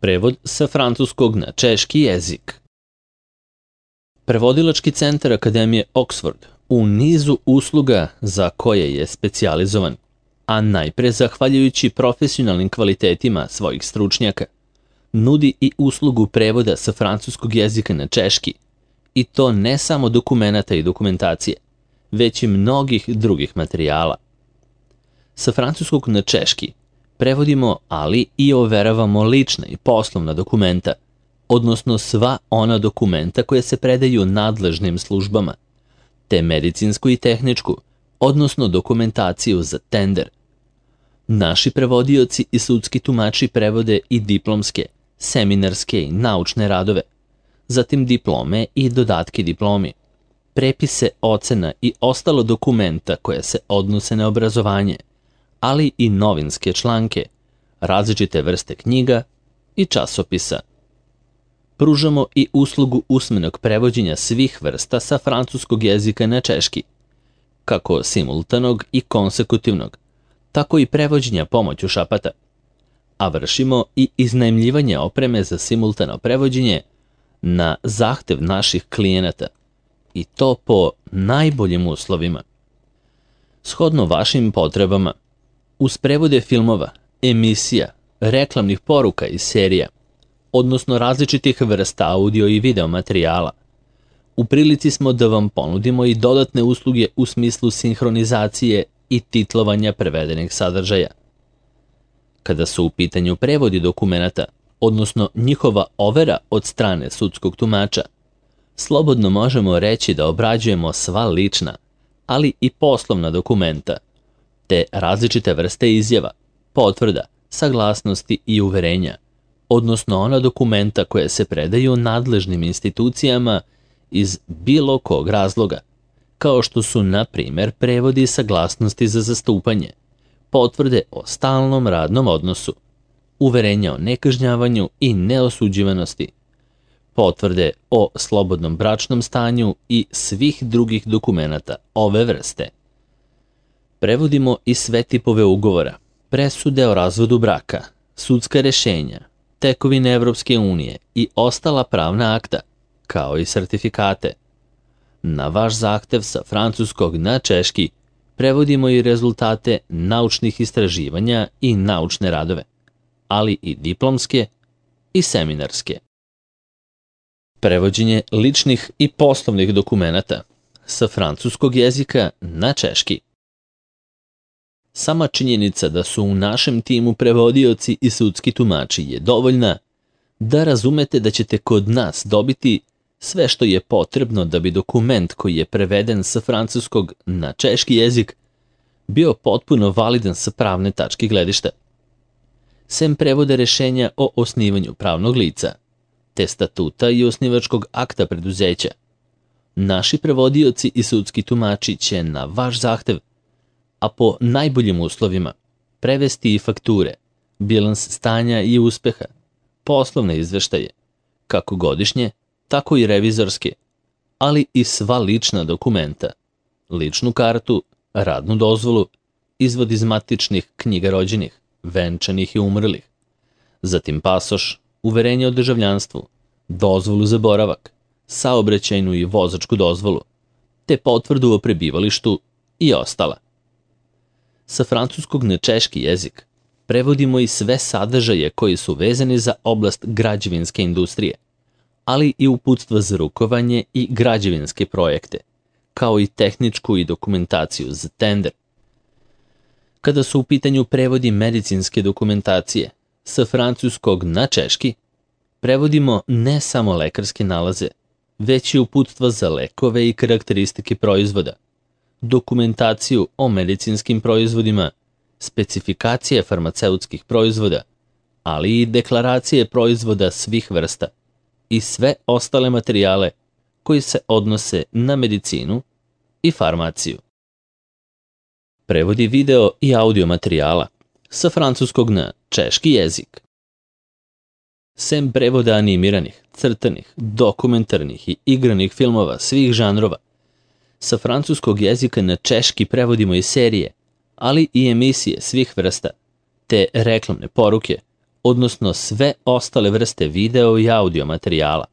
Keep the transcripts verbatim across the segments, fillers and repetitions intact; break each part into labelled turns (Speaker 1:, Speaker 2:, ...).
Speaker 1: Prevod sa francuskog na češki jezik. Prevodilački centar Akademije Oxford u nizu usluga za koje je specijalizovan, a najpre zahvaljujući profesionalnim kvalitetima svojih stručnjaka, nudi i uslugu prevoda sa francuskog jezika na češki, i to ne samo dokumenata i dokumentacije, već i mnogih drugih materijala. Sa francuskog na češki prevodimo, ali i overavamo lična i poslovna dokumenta, odnosno sva ona dokumenta koje se predaju nadležnim službama, te medicinsku i tehničku, odnosno dokumentaciju za tender. Naši prevodioci i sudski tumači prevode i diplomske, seminarske i naučne radove, zatim diplome i dodatke diplomi, prepise ocena i ostalo dokumenta koje se odnose na obrazovanje, ali i novinske članke, različite vrste knjiga i časopisa. Pružamo i uslugu usmenog prevođenja svih vrsta sa francuskog jezika na češki, kako simultanog i konsekutivnog, tako i prevođenja pomoću šapata, a vršimo i iznajmljivanje opreme za simultano prevođenje na zahtev naših klijenata, i to po najboljim uslovima. Shodno vašim potrebama, uz prevode filmova, emisija, reklamnih poruka i serija, odnosno različitih vrsta audio i video materijala, u prilici smo da vam ponudimo i dodatne usluge u smislu sinhronizacije i titlovanja prevedenih sadržaja. Kada su u pitanju prevodi dokumenata, odnosno njihova overa od strane sudskog tumača, slobodno možemo reći da obrađujemo sva lična, ali i poslovna dokumenta, te različite vrste izjava, potvrda, saglasnosti i uverenja, odnosno ona dokumenta koje se predaju nadležnim institucijama iz bilo kog razloga, kao što su, na primjer, prevodi i saglasnosti za zastupanje, potvrde o stalnom radnom odnosu, uverenja o nekažnjavanju i neosuđivanosti, potvrde o slobodnom bračnom stanju i svih drugih dokumenata ove vrste. Prevodimo i sve tipove ugovora, presude o razvodu braka, sudska rešenja, tekovine Evropske unije i ostala pravna akta, kao i sertifikate. Na vaš zahtev sa francuskog na češki prevodimo i rezultate naučnih istraživanja i naučne radove, ali i diplomske i seminarske. Prevođenje ličnih i poslovnih dokumenata sa francuskog jezika na češki. Sama činjenica da su u našem timu prevodioci i sudski tumači je dovoljna da razumete da ćete kod nas dobiti sve što je potrebno da bi dokument koji je preveden sa francuskog na češki jezik bio potpuno validan sa pravne tačke gledišta. Sem prevoda rešenja o osnivanju pravnog lica, te statuta i osnivačkog akta preduzeća, naši prevodioci i sudski tumači će na vaš zahtev, a po najboljim uslovima, prevesti i fakture, bilans stanja i uspeha, poslovne izveštaje, kako godišnje, tako i revizorske, ali i sva lična dokumenta, ličnu kartu, radnu dozvolu, izvod iz matičnih knjiga rođenih, venčanih i umrlih, zatim pasoš, uverenje o državljanstvu, dozvolu za boravak, saobraćajnu i vozačku dozvolu, te potvrdu o prebivalištu i ostala. Sa francuskog na češki jezik prevodimo i sve sadržaje koji su vezani za oblast građevinske industrije, ali i uputstva za rukovanje i građevinske projekte, kao i tehničku i dokumentaciju za tender. Kada su u pitanju prevodi medicinske dokumentacije sa francuskog na češki, prevodimo ne samo lekarske nalaze, već i uputstva za lekove i karakteristike proizvoda, dokumentaciju o medicinskim proizvodima, specifikacije farmaceutskih proizvoda, ali i deklaracije proizvoda svih vrsta i sve ostale materijale koji se odnose na medicinu i farmaciju. Prevodi video i audio materijala sa francuskog na češki jezik. Sem prevoda animiranih, crtanih, dokumentarnih i igranih filmova svih žanrova, sa francuskog jezika na češki prevodimo i serije, ali i emisije svih vrsta, te reklamne poruke, odnosno sve ostale vrste video i audio materijala.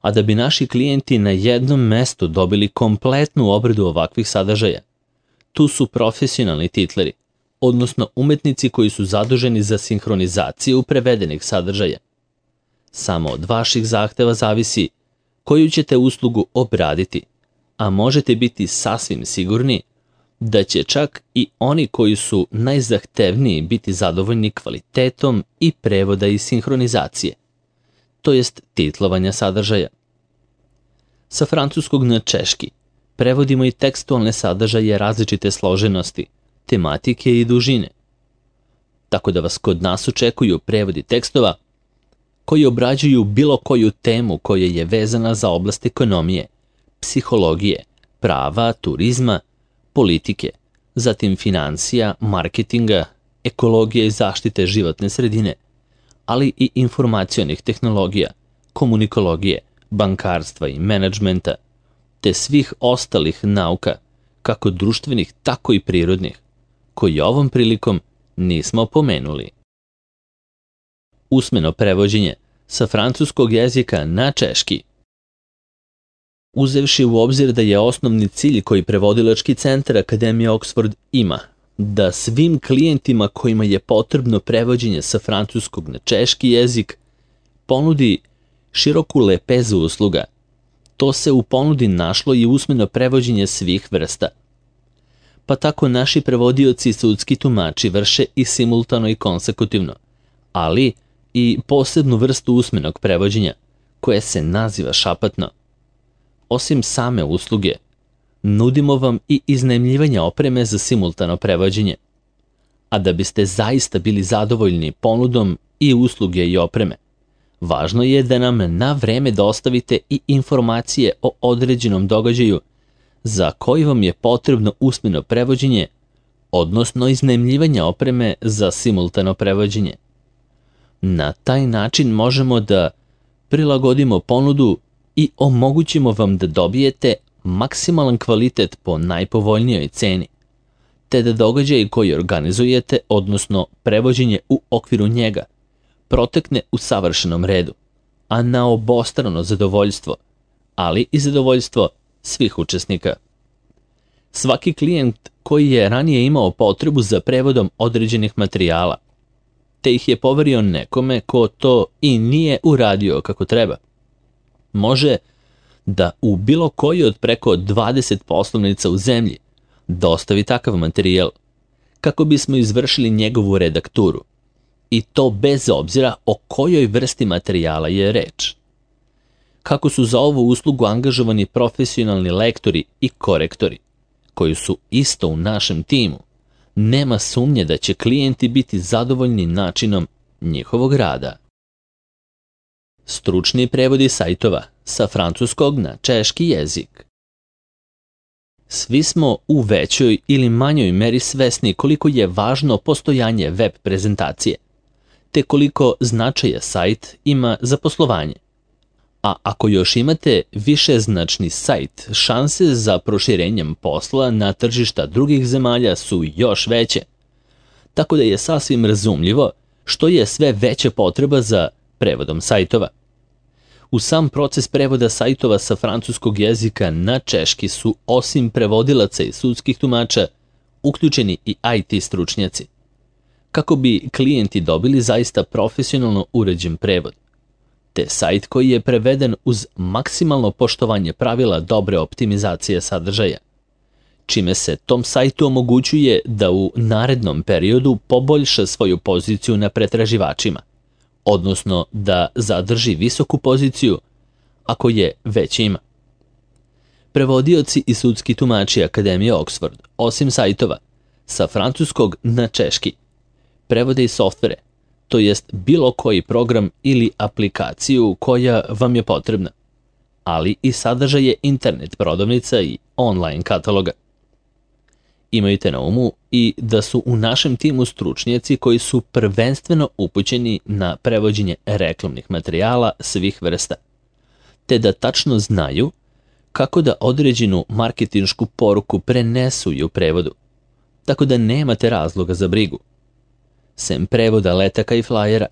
Speaker 1: A da bi naši klijenti na jednom mestu dobili kompletnu obradu ovakvih sadržaja, tu su profesionalni titleri, odnosno umetnici koji su zaduženi za sinhronizaciju prevedenih sadržaja. Samo od vaših zahteva zavisi koju ćete uslugu obraditi, a možete biti sasvim sigurni da će čak i oni koji su najzahtevniji biti zadovoljni kvalitetom i prevoda i sinhronizacije, to jest titlovanja sadržaja. Sa francuskog na češki prevodimo i tekstualne sadržaje različite složenosti, tematike i dužine. Tako da vas kod nas očekuju prevodi tekstova koji obrađuju bilo koju temu koja je vezana za oblast ekonomije, psihologije, prava, turizma, politike, zatim financija, marketinga, ekologije i zaštite životne sredine, ali i informacionih tehnologija, komunikologije, bankarstva i menadžmenta, te svih ostalih nauka, kako društvenih, tako i prirodnih, koji ovom prilikom nismo pomenuli. Usmeno prevođenje sa francuskog jezika na češki. Uzevši u obzir da je osnovni cilj koji prevodilački centar Akademije Oxford ima, da svim klijentima kojima je potrebno prevođenje sa francuskog na češki jezik ponudi široku lepezu usluga, to se u ponudi našlo i usmeno prevođenje svih vrsta. Pa tako naši prevodioci i sudski tumači vrše i simultano i konsekutivno, ali i posebnu vrstu usmenog prevođenja, koje se naziva šapatno. Osim same usluge, nudimo vam i iznajmljivanje opreme za simultano prevođenje. A da biste zaista bili zadovoljni ponudom i usluge i opreme, važno je da nam na vreme dostavite i informacije o određenom događaju za koji vam je potrebno usmeno prevođenje, odnosno iznajmljivanje opreme za simultano prevođenje. Na taj način možemo da prilagodimo ponudu i omogućimo vam da dobijete maksimalan kvalitet po najpovoljnijoj ceni, te da događaj koji organizujete, odnosno prevođenje u okviru njega, protekne u savršenom redu, a na obostrano zadovoljstvo, ali i zadovoljstvo svih učesnika. Svaki klijent koji je ranije imao potrebu za prevodom određenih materijala, te ih je poverio nekome ko to i nije uradio kako treba, može da u bilo koji od preko dvadeset poslovnica u zemlji dostavi takav materijal, kako bismo izvršili njegovu redakturu, i to bez obzira o kojoj vrsti materijala je reč. Kako su za ovu uslugu angažovani profesionalni lektori i korektori, koji su isto u našem timu, nema sumnje da će klijenti biti zadovoljni načinom njihovog rada. Stručni prevodi sajtova sa francuskog na češki jezik. Svi smo u većoj ili manjoj meri svesni koliko je važno postojanje web prezentacije, te koliko značaja sajt ima za poslovanje. A ako još imate višeznačni sajt, šanse za proširenjem posla na tržišta drugih zemalja su još veće, tako da je sasvim razumljivo što je sve veća potreba za prevodom sajtova. U sam proces prevoda sajtova sa francuskog jezika na češki su, osim prevodilaca i sudskih tumača, uključeni i I T stručnjaci, kako bi klijenti dobili zaista profesionalno uređen prevod, te sajt koji je preveden uz maksimalno poštovanje pravila dobre optimizacije sadržaja, čime se tom sajtu omogućuje da u narednom periodu poboljša svoju poziciju na pretraživačima, odnosno da zadrži visoku poziciju ako je već ima. Prevodioci i sudski tumači Akademije Oxford, osim sajtova, sa francuskog na češki, prevode i softvere, to jest bilo koji program ili aplikaciju koja vam je potrebna, ali i sadržaje internet prodavnica i online kataloga. Imajte na umu i da su u našem timu stručnjaci koji su prvenstveno upućeni na prevođenje reklamnih materijala svih vrsta, te da tačno znaju kako da određenu marketinšku poruku prenesu i u prevodu, tako da nemate razloga za brigu. sem prevoda letaka i flajera.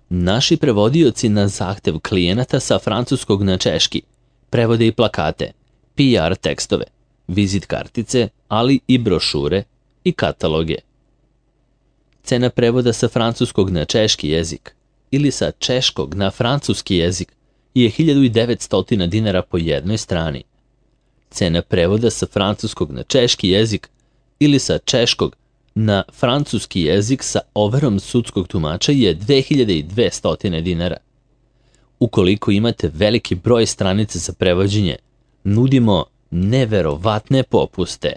Speaker 1: Naši prevodioci na zahtev klijenata sa francuskog na češki prevode i plakate, P R tekstove, vizit kartice, ali i brošure i kataloge. Cena prevoda sa francuskog na češki jezik ili sa češkog na francuski jezik je hiljadu devetsto dinara po jednoj strani. Cena prevoda sa francuskog na češki jezik ili sa češkog na francuski jezik sa overom sudskog tumača je dve hiljade dvesta dinara. Ukoliko imate veliki broj stranica za prevođenje, nudimo neverovatne popuste.